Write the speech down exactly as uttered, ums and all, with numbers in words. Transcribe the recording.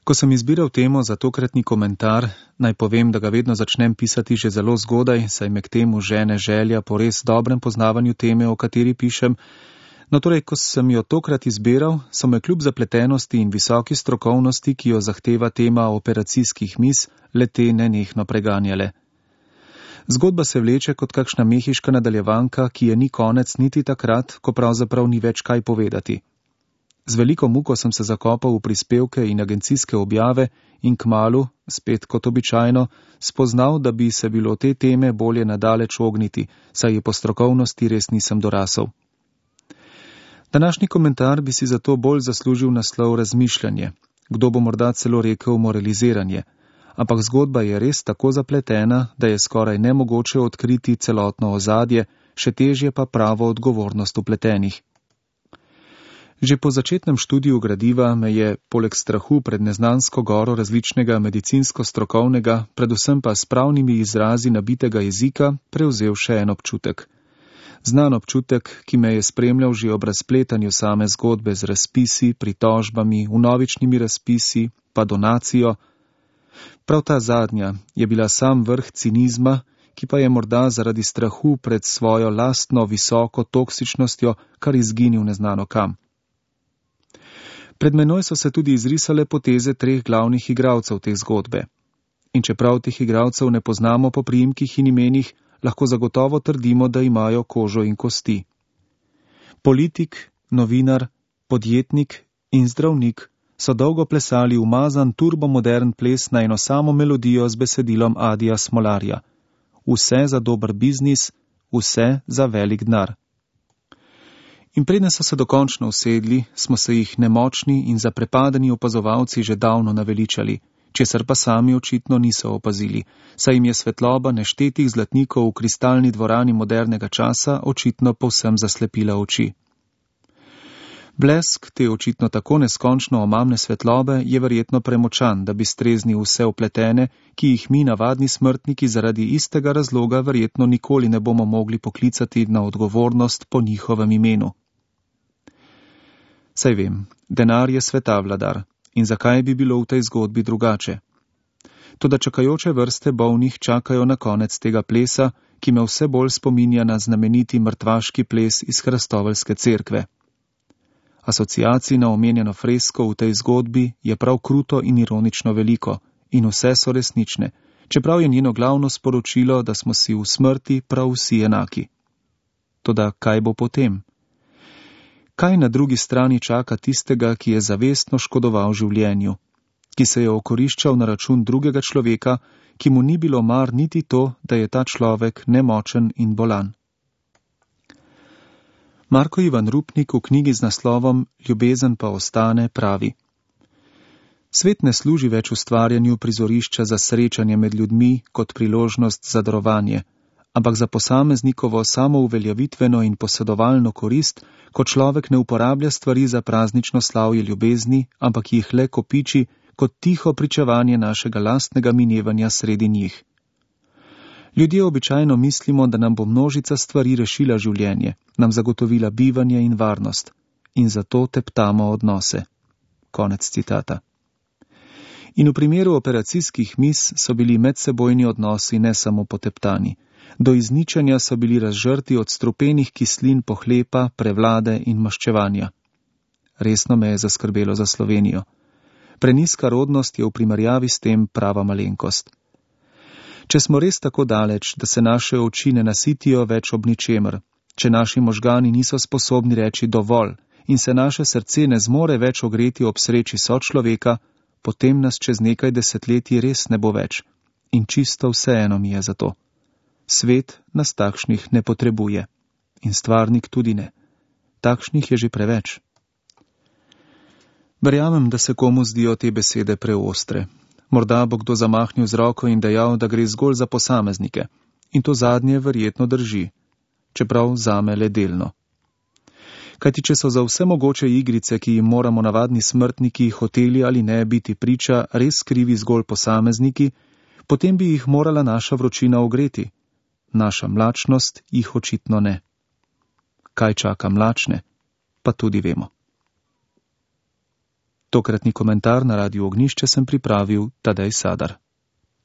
Ko sem izbiral temo za tokratni komentar, naj povem, da ga vedno začnem pisati že zelo zgodaj, saj me k temu žene želja po res dobrem poznavanju teme, o kateri pišem. No torej, ko sem jo tokrat izbiral, so me kljub zapletenosti in visoki strokovnosti, ki jo zahteva tema operacijskih mis, le-te nenehno preganjale. Zgodba se vleče kot kakšna mehiška nadaljevanka, ki je ni konec niti takrat, ko pravzaprav ni več kaj povedati. Z veliko muko sem se zakopal v prispevke in agencijske objave in kmalu, spet kot običajno, spoznal, da bi se bilo te teme bolje nadaleč ogniti, saj je po strokovnosti res nisem dorasel. Današnji komentar bi si zato bolj zaslužil naslov razmišljanje, kdo bo morda celo rekel moraliziranje, ampak zgodba je res tako zapletena, da je skoraj nemogoče odkriti celotno ozadje, še težje pa pravo odgovornost vpletenih. Že po začetnem študiju gradiva me je, poleg strahu pred neznansko goro različnega medicinsko-strokovnega, predvsem pa s pravnimi izrazi nabitega jezika, prevzel še en občutek. Znan občutek, ki me je spremljal že ob razpletanju same zgodbe z razpisi, pritožbami, vnovičnimi razpisi, pa donacijo. Prav ta zadnja je bila sam vrh cinizma, ki pa je morda zaradi strahu pred svojo lastno visoko toksičnostjo kar izginil neznano kam. Pred menoj so se tudi izrisale poteze treh glavnih igralcev te zgodbe. In čeprav teh igralcev ne poznamo po priimkih in imenih, lahko zagotovo trdimo, da imajo kožo in kosti. Politik, novinar, podjetnik in zdravnik so dolgo plesali umazan turbomodern ples na eno samo melodijo z besedilom Adija Smolarja. Vse za dober biznis, vse za velik denar. In preden so se dokončno usedli, smo se jih nemočni in zaprepadeni opazovalci že davno naveličali, česar pa sami očitno niso opazili, saj jim je svetloba neštetih zlatnikov v kristalni dvorani modernega časa očitno povsem zaslepila oči. Blesk te očitno tako neskončno omamne svetlobe je verjetno premočan, da bi streznil vse vpletene, ki jih mi navadni smrtniki zaradi istega razloga verjetno nikoli ne bomo mogli poklicati na odgovornost po njihovem imenu. Saj vem, denar je sveta vladar in zakaj bi bilo v tej zgodbi drugače? Toda čakajoče vrste bolnih čakajo na konec tega plesa, ki me vse bolj spominja na znameniti mrtvaški ples iz Hrastoveljske cerkve. Asociacij na omenjeno fresko v tej zgodbi je prav kruto in ironično veliko in vse so resnične, čeprav je njeno glavno sporočilo, da smo si v smrti prav vsi enaki. Toda kaj bo potem? Kaj na drugi strani čaka tistega, ki je zavestno škodoval življenju, ki se je okoriščal na račun drugega človeka, ki mu ni bilo mar niti to, da je ta človek nemočen in bolan? Marko Ivan Rupnik v knjigi z naslovom Ljubezen pa ostane pravi: Svet ne služi več ustvarjanju prizorišča za srečanje med ljudmi kot priložnost za darovanje, ampak za posameznikovo samouveljavitveno in posedovalno korist, ko človek ne uporablja stvari za praznično slavje ljubezni, ampak jih le kopiči kot tiho pričevanje našega lastnega minevanja sredi njih. Ljudje običajno mislimo, da nam bo množica stvari rešila življenje, nam zagotovila bivanje in varnost, in zato teptamo odnose. Konec citata. In v primeru operacijskih mis so bili medsebojni odnosi ne samo poteptani. Do izničenja so bili razžrti od strupenih kislin pohlepa, prevlade in maščevanja. Resno me je zaskrbelo za Slovenijo. Prenizka rodnost je v primerjavi s tem prava malenkost. Če smo res tako daleč, da se naše oči ne nasitijo več ob ničemer, če naši možgani niso sposobni reči dovolj in se naše srce ne zmore več ogreti ob sreči sočloveka, potem nas čez nekaj desetletij res ne bo več. In čisto vseeno mi je za to. Svet nas takšnih ne potrebuje. In stvarnik tudi ne. Takšnih je že preveč. Verjamem, da se komu zdijo te besede preostre. Morda bo kdo zamahnil z roko in dejal, da gre zgolj za posameznike. In to zadnje verjetno drži. Čeprav zame le delno. Kajti če so za vse mogoče igrice, ki jim moramo navadni smrtniki hoteli ali ne biti priča, res krivi zgolj posamezniki, potem bi jih morala naša vročina ogreti. Naša mlačnost jih očitno ne. Kaj čaka mlačne, pa tudi vemo. Tokratni komentar na Radiu Ognišče sem pripravil Tadej Sadar.